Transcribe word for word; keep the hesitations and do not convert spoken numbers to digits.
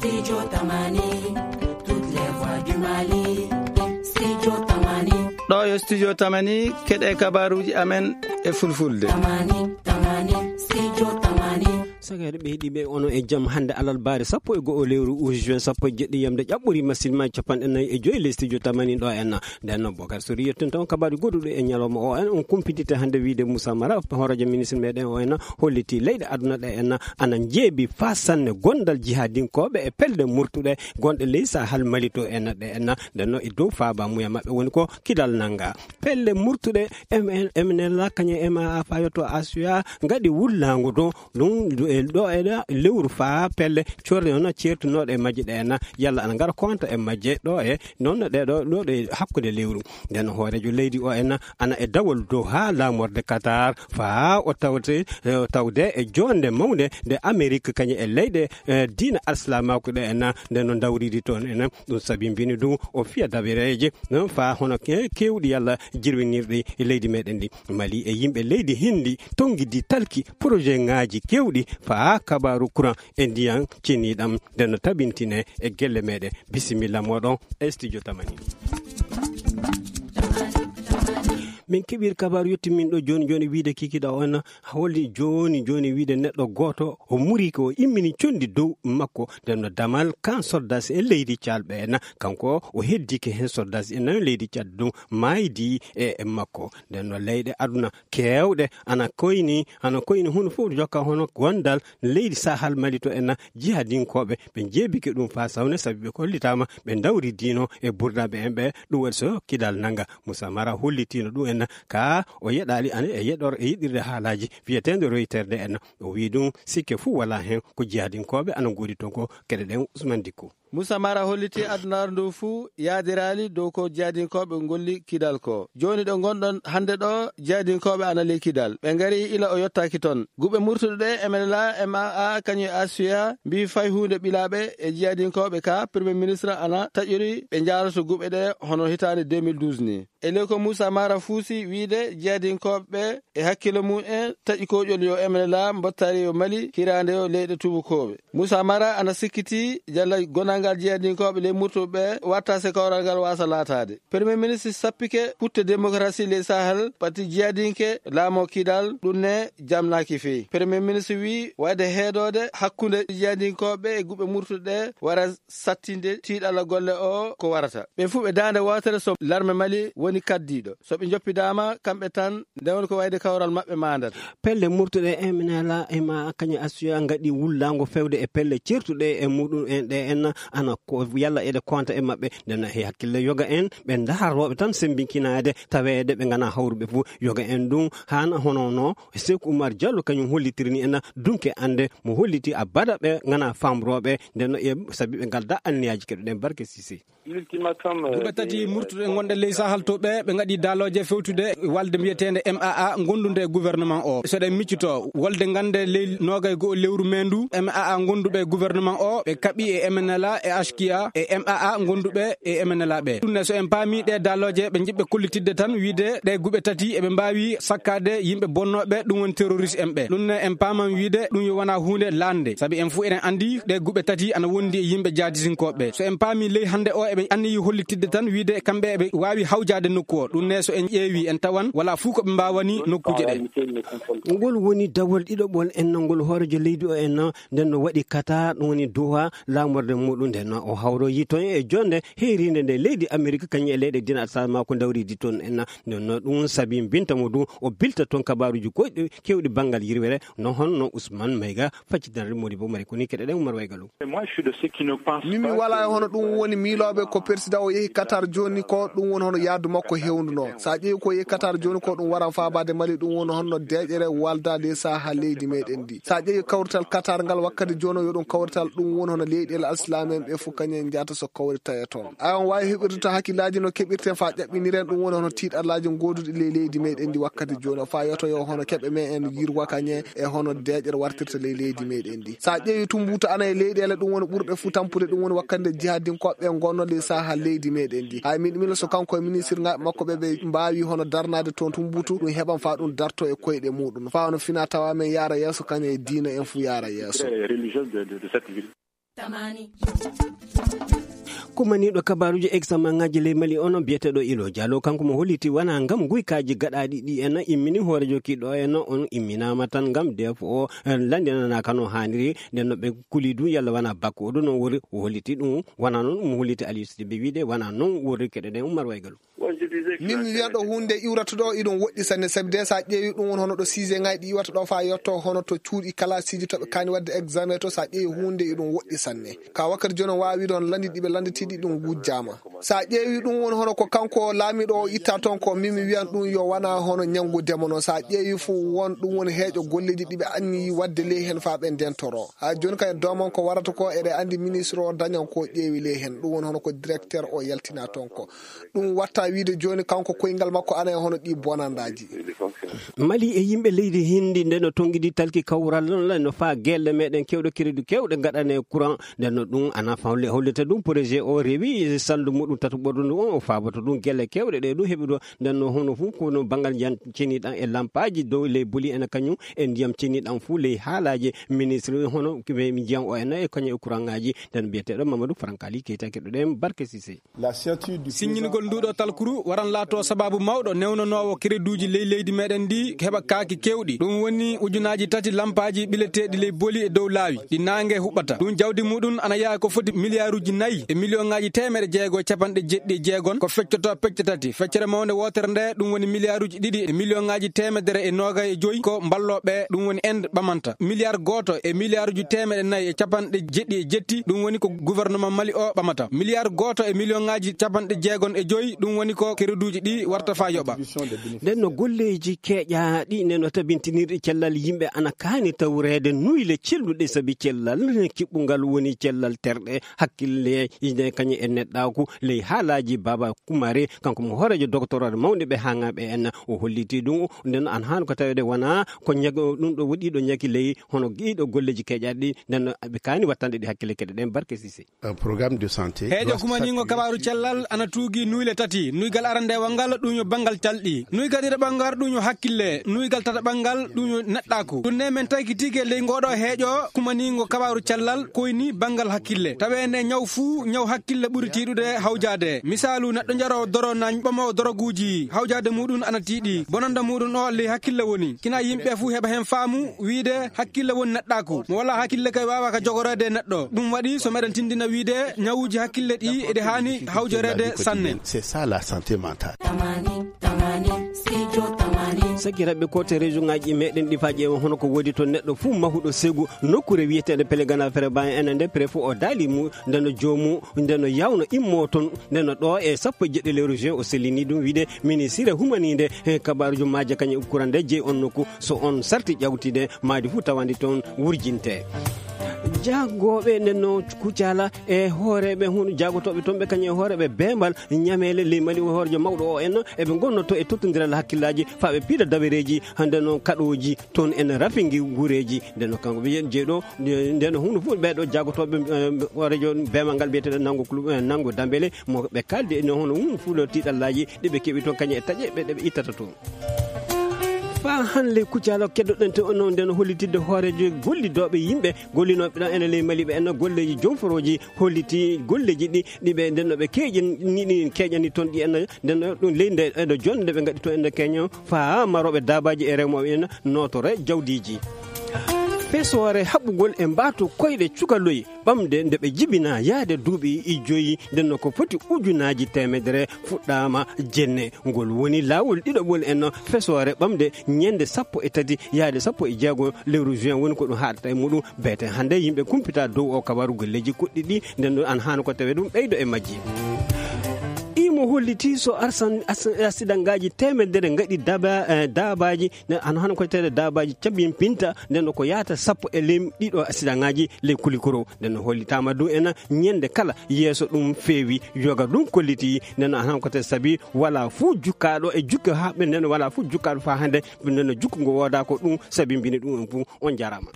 Studio Tamani, toutes les voix du Mali. Studio Tamani. Ɗo yo Studio Tamani, keɗe kabaruji amen e fulfulde. Tamani, Tamani, Studio Tamani. Sagaade ɓe heɗiiɓe, onon e jam. Hannde alarbaare sappo e go'o lewru juin sappo e jeɗɗi yamde ƴaɓɓori masin ma capanɗe nayi e joy le Studio Tamani ɗo en. Nden noon, Bokar Sori, yetton tan kabaru goduɗo e ñalawma o en, on kumpitite hannde wiide Moussa Mara, hooreejo ministre meɗen o en, holliti leyɗe aduna ɗe en ana njeebi faa sanne gondal jihadinkooɓe e pelle murtuɗe gonɗe ley Sahel Mali to en ɗe en. Nden noon, e dow faaba muya maɓɓe woni ko Kidal nanga. Pelle murtuɗe M N, M N L A, kañum e M A A faa yotto Asuya ngaɗi wullaango to ɗum, e ɗo e ɗo lewru faa pelle corre noon ceertunooɗe e majje ɗe en, yalla ana ngara konta e majje ɗo e noon ɗe ɗo, ɗo ɗe hakkunde lewru. Nden hooreejo leydi o en ana e dawol dow haa laamorde Qatar faa o tawte, e, tawde e joonde mawnde nde Amerik kañum e leyɗe, e, diina alsilaamaaku ɗe en, nden no ndawridi toon en. Ɗum sabi mbini ɗum o fiya dabereeje, noon faa hono ke-, keewɗi yalla jirwinirɗi e leydi meɗen ndi. Mali e yimɓe leydi Hindi tonngidi talki projet ŋaaji keewɗi faa kabaaru courant e ndiyan ceniɗam nde no tabintine e gelle meɗen. Bisimilla moɗon e Studio Tamani. Min keɓir kabaaru yettimin ɗo jooni jooni wiide kikiɗa on holli jooni jooni wiide neɗɗo gooto o muri ko o immini condi dow makko. Nden no damal kan soldasi e leydi calɓe en, kanko o heddike hen soldasi e nayo leydi Cad ɗum maaydi e, e makko. Nden no leyɗe aduna keewɗe ana koyni, ana koyni huno fof jokka hono gondal leydi Sahel Mali to en jihadinkooɓe ɓe jeebike ɗum faa sawne sabi ɓe kollitaama ɓe ndawri diino e burdaaɓe en ɓe ɗum waɗi so Kidal nanga. Moussa Mara hollitiino ɗum en ka o yeɗaali ana e yeɗor e yiɗirde haalaaji wiyeteende Reuters nde en. O wii ɗum sikke fuu walaa heen ko jihadinkooɓe ana ngoodi toon ko keɗe ɗen Ousmane Dicko. Moussa Mara holliti adunaaru ndu fuu yaadiraali dow ko jihadinkooɓe ngolli Kidal ko. Jooni ɗo ngonɗon hannde ɗo, jihadinkooɓe ana ley Kidal. Ɓe ngari ila o yottaaki toon. Guɓe murtuɗe ɗe M N L A, M A A, kañum e Asuya mbii fay huunde ɓilaaɓe e jihadinkooɓe ka Premier Ministre ana taƴori ɓe njaaroto guɓe ɗe hono hitaande deux mille douze ni. E ley ko Moussa Mara fuusi wiide jihadinkooɓe ɓe e hakkille mum en taƴi koƴol yo M N L A mbottaari yo Mali hiraande yo leyɗe tuubakooɓe. Moussa Mara ana sikkiti jalla gonangal jihadinkooɓe ley murtuɓe ɓe watta se kawral ngal waasa laataade. Premier ministre sappike putte démocratie ley Sahel pati jihadinke laamoo Kidal ɗum ne jamnaaki feyi. Premier ministre wii wayde heedoode hakkunde jihadinkooɓe e guɓe murtuɗe wara sattinde tiiɗalla golle o ko warata. Ɓe fuu ɓe daande wootere so larme Mali woni kaddiiɗo. So ɓe njoppidaama kamɓe tan nde woni ko wayde kawral maɓɓe maandata. Pelle murtuɗe M N L A e ma kañum Asuya ngaɗi wullaango fewde e pelle certuɗe e muɗum en ɗe en ana ko yalla eɗe konta e maɓɓe. Nden e hakkille yoga en ɓe ndaharooɓe tan sembinkinaade taweede ɓe ngana hawruɓe fof. Yoga en ɗum haana hono no Seeku Umar Jallo kañum hollitiri ni en dunke annde mo holliti abada ɓe ngana famrooɓe nden no e sabi ɓe ngalda anniyaaji keɗoɗen barke Sise. Duɓe tati murtuɗe gonɗe ley Sahel to ɓe ɓe ngaɗi daalooje fewtude walde mbiyeteende M A A gondunde e gouvernement o. So ɗen miccuto wolde gannde ley noogay go'o lewru meendu M A A gonduɓe e gouvernement o ɓe kaɓi e M N L A e H Q A e M A A gonduɓe e M N L A ɓe. Ɗum ne so en paami ɗe daalooje ɓe njiɗɓe kollitidde tan wiide ɗe guɓe tati eɓe mbaawi sakkaade yimɓe bonnooɓe ɗum woni terroriste en ɓe. Ɗum ne en paaman wiide ɗum yo wona huunde laande sabi en fuu eɗen anndi ɗe guɓe tati ana wondi e yimɓe jaadisinkooɓe. So en paami ley hannde o eɓe anniyi hollitidde tan wiide kamɓe eɓe waawi hawjaade nokku o. Ɗum ne so en ƴeewi en tawan wala fuu ko ɓe mbaawani nokkuuje ɗe. Ngol woni dawol ɗiɗoɓol en nangol hooreejo leydi o en nden no waɗi Qatar ɗum woni Doha laamorde muɗum nden no o hawroyi toon e jonde heerinde nde leydi Amerik kañum e leyɗe dina alsal ma ko dawridi toon en. Nden no ɗum sabi mbinta mo du o bilta toon kabaruji goɗɗi kewɗi banngal yirwere no honno Ousmane Mayga faccitanre modi bo mari koni keɗe ɗen Umar Waygalu. Min mi wala e hono ɗum woni miilooɓe ko persidan o yehi Qatar jooni ko ɗum woni hono yaadu makko hewnduno. Sa ƴeewi ko yehi Qatar jooni ko ɗum waran faabaade Mali ɗum woni hono deeƴere walda ley saha leydi meɗen ndi. Sa ƴeewi kawrital Qatar ngal wakkati jooni yo ɗum kawrital ɗum woni hono leyɗeele alsilaame en ɓe fof kañum en njahata so kawrita e toon. Ay on waawi heɓirde to hakkillaaji no keɓirten faa ƴaɓɓiniren ɗum woni hono tiiɗallaaji gooduɗi ley leydi meɗen ndi wakkati jooni faa yoto yo hono keɓe me en yirwa kañe e hono deeƴere wartirta ley leydi meɗen ndi. Sa ƴeewi Tumbutu ana e leyɗeele ɗum woni ɓurɗe fuu tampude ɗum woni wakkati nde jihadinkooɓe ɓe ngonno ley saha leydi meɗen ndi. Hay min mila so kanko e ministirŋaaɓe makko ɓe ɓe mbaawi hono darnaade toon Tumbutu ɗum heɓan faa ɗum darto e koyɗe muɗum faa hono fina tawa men yaara yeeso kañe e diina en fuu yaara yeeso. Kumaniiɗo kabaaruuji examen ŋaaji ley Mali on biyeteeɗo Ilo Diallo, kanko mo holliti wona ngam guykaaji gaɗaaɗi ɗi en immini hoorejo kiɗɗo en on imminaama tan ngam defo o landinanaaka no haaniri. Nden no ɓe kuli du yalla wona bakko o du no wori o holliti ɗum, wona noon ɗum holliti Aliou Sidibé wiide wona noon wori keɗe ɗen Ummar Waygalu. Min mi wiyan ɗo huunde iwrata ɗo iɗum woɗɗi sanne, sabi de so a ƴeewi ɗum won hono ɗo siise ŋaaji ɗi iwata ɗo faa yotto hono to cuuɗi kalaasiiji to ɓe kaani waɗde examen to, so a ƴeewi huunde iɗum woɗɗi sanne. Ka wakkati jooni on waawi wiide hono lanndi ɗi ɓe lannditiiɗi ɗum wujjaama. So a ƴeewi ɗum won hono ko kanko laamiiɗo o itta toon ko min mi wiyan ɗum yo wona hono ñanngude mo noon. So a ƴeewi fof won ɗum woni heeƴo golleeji ɗi ɓe anniyi waɗde ley heen faa ɓe ndentoro. Haa jooni kay doomon ko warata ko eɗe anndi ministre o dañan ko ƴeewi ley heen. Ɗum woni hono ko directeur o yaltina toon ko. Ɗum watta wiide jooni kanko koyngal makko ana e hono ɗi bonandaaji. Mali e yimɓe leydi Hindi nde no tonngidi talki kawral no faa gelle meɗen kewɗe crédit kewɗe gaɗane courant. Nden no ɗum ana fawle hollita ɗum projet o rewi salndu muɗum tatu ɓorɗo ndu on o faabata ɗum gelle kewɗe ɗe ɗum heɓi ɗo. Nden no hono fof kono banngal njan ceniɗan e lampaaji dow ley boli ena kañum e ndiyam ceniɗan fof ley haalaaji ministre hono ɓe njiyan o ena e kañum e courant ŋaaji. Nden biyeteeɗo Mamadou Frankali Keita keɗoɗen Barke Sise. Siññingol nduɗo talkuru waran laato sababu mawɗo newnanoowo kereduuji ley leydi meɗen ndi heɓa kaaki kewɗi. Ɗum woni ujunaaji tati lampaaji ɓileteeɗi ley boli e dow laawi ɗi naange huɓɓata. Ɗum jawdi muɗum ana yaha ko foti miliyaaruuji nayi e miliyoŋaaji teemeɗe jeego e capanɗe jeɗɗi e jeegon ko feccoto pecce tati. Feccere mawnde wootere nde ɗum woni miliyaaruuji ɗiɗi e miliyoŋaaji teemedere e noogay e joyi ko mballooɓe ɗum woni Inde ɓamanta. Miliyaar gooto e miliyaaruuji teemeɗe nayi e capanɗe jeɗɗi e jetti ɗum woni ko gouvernement Mali o ɓamata. Miliyaar gooto e miliyoŋaaji capanɗe jeegon e joyi ɗum woni ko kereduuji ɗi warta faa yoɓa. Nden no golleeji keeƴaaɗi nden no tabintinirɗi cellal yimɓe ana kaani tawreede nuyle celluɗe sabi cellal kiɓɓungal woni cellal terɗe hakkille ine kañum e neɗɗaaku ley haalaaji Baba Kumare, kanko mo hooreejo doktorooɗe mawɗe ɓe haaŋaaɓe en. O holliti ɗum nden an haan ko taweede wona ko ñago ɗum ɗo woɗɗi ɗo ñaki ley hono giiɗo golleeji keeƴaaɗi nden ɓe kaani wattande ɗi hakkille keɗe ɗen Barke Sise. Un programme de santé heejo kumaniingo kabaaru cellal ana tuugi nuyle tati. Nuygal arandewal ngal ɗum yo banngal calɗi, nuygal ɗiɗaɓal ngal ɗum yo hakkille, nuygal tataɓal ngal ɗum yo neɗɗaaku. Ɗum ne men tawki tigi ley ngoɗo heejo kumaniingo kabaaru cellal koyni banngal hakkille. Taweende ñaw fuu ñaw hakkille ɓuri tiiɗude hawjaade. Misaalu neɗɗo jaro doro na ɓamo doroguuji hawjaade muɗum ana tiiɗi. Bonanda muɗum o ley hakkille woni. Kina yimɓe fuu heɓa heen faamu wiide hakkille woni neɗɗaaku. Mo wala hakkille kay waawa ka jogoreede neɗɗo. Ɗum waɗi so meɗen tindina wiide ñawuuji hakkille ɗi eɗi haani hawjoreede sanne. C'est ça la santé mentale. Saki raɓɓe kote région ngaji meɗen ɗi faaji e hono ko woodi to neɗɗo fuu mahuɗo segu nokkure wiyeteende Pellegana Fereba en nde préfet o daali mu ndeno joomu ndeno yawno immo toon. Ndeno ɗo e sappo e jeɗɗi lewru juin o sellini ɗum wiide ministre humaninde e kabarujo maaje kañum e kurande jeyi on nokku so on sarti ƴawtide maadi fuu tawandi toon wurjinte. Jagooɓe nden no Kucala e hooreeɓe hun jagotooɓe toon ɓe kañum e hooreeɓe beembal ñameele ley Mali o hoorejo mawɗo o en eɓe ngonnoto e tottondiral hakkillaaji faa ɓe piila dawereeji hannde noon kaɗooji toon en rafingi guureeji. Nden no kanko ɓe jeyɗo nden no hunde fof ɓeeɗo jagotooɓe hoorejo beembal ngal biyeteeɗo Nango Kulu Nango Dambele mo ɓe kaaldi e hono hunde fof ɗo tiiɗallaaji ɗi ɓe keɓi toon kañum e taƴe ɓe ɗe ɓe ittata toon. Faa hannde Kucala keddoɗen to onon nden hollitidde hooreejo gollidooɓe yimɓe gollinooɓe ɗon ene ley Mali ɓe en golleeji jom forooji holliti golleeji ɗi ɗi ɓe nden no ɓe keeƴani ɗi keeƴani toon ɗi en nden no ɗum ley nde ɗo jonde ɓe ngaɗi toon ende keño faa marooɓe daabaaji e remooɓe en nootore jawdiiji. Fesoore haɓugol e mbaato koyɗe cukaloy ɓamde nde ɓe jibina yahde duuɓi joyi nden no ko foti ujunaaji teemedere fuɗɗaama jenne. Ngol woni laawol ɗiɗaɓol en fesoore ɓamde ñande sappo e tati yahde sappo e jeego lewru juin woni ko ɗum haɗata e muɗum. Beete hannde yimɓe kumpita dow o kabaru golleeji kuɗɗi ɗi nden no an haano ko tawe ɗum ɓeydo e majji. Imo holliti so arsan asidangaaji teemedere ngaɗi daba daabaaji nden an hano ko tede daabaaji cabimpinta nden no ko yaata sappo e lem ɗiɗo asidangaaji ley kulikoro. Nden no hollitaama du ena ñande kala yeeso ɗum feewi yoga ɗum kolliti nden no an hano ko tede sabi wala fuu jukkaaɗo e jukke haɓɓe nden wala fuu jukkaaɗo faa hannde nden no jukku ngo wooda ko ɗum sabi mbini ɗum en fuu. On jaraama.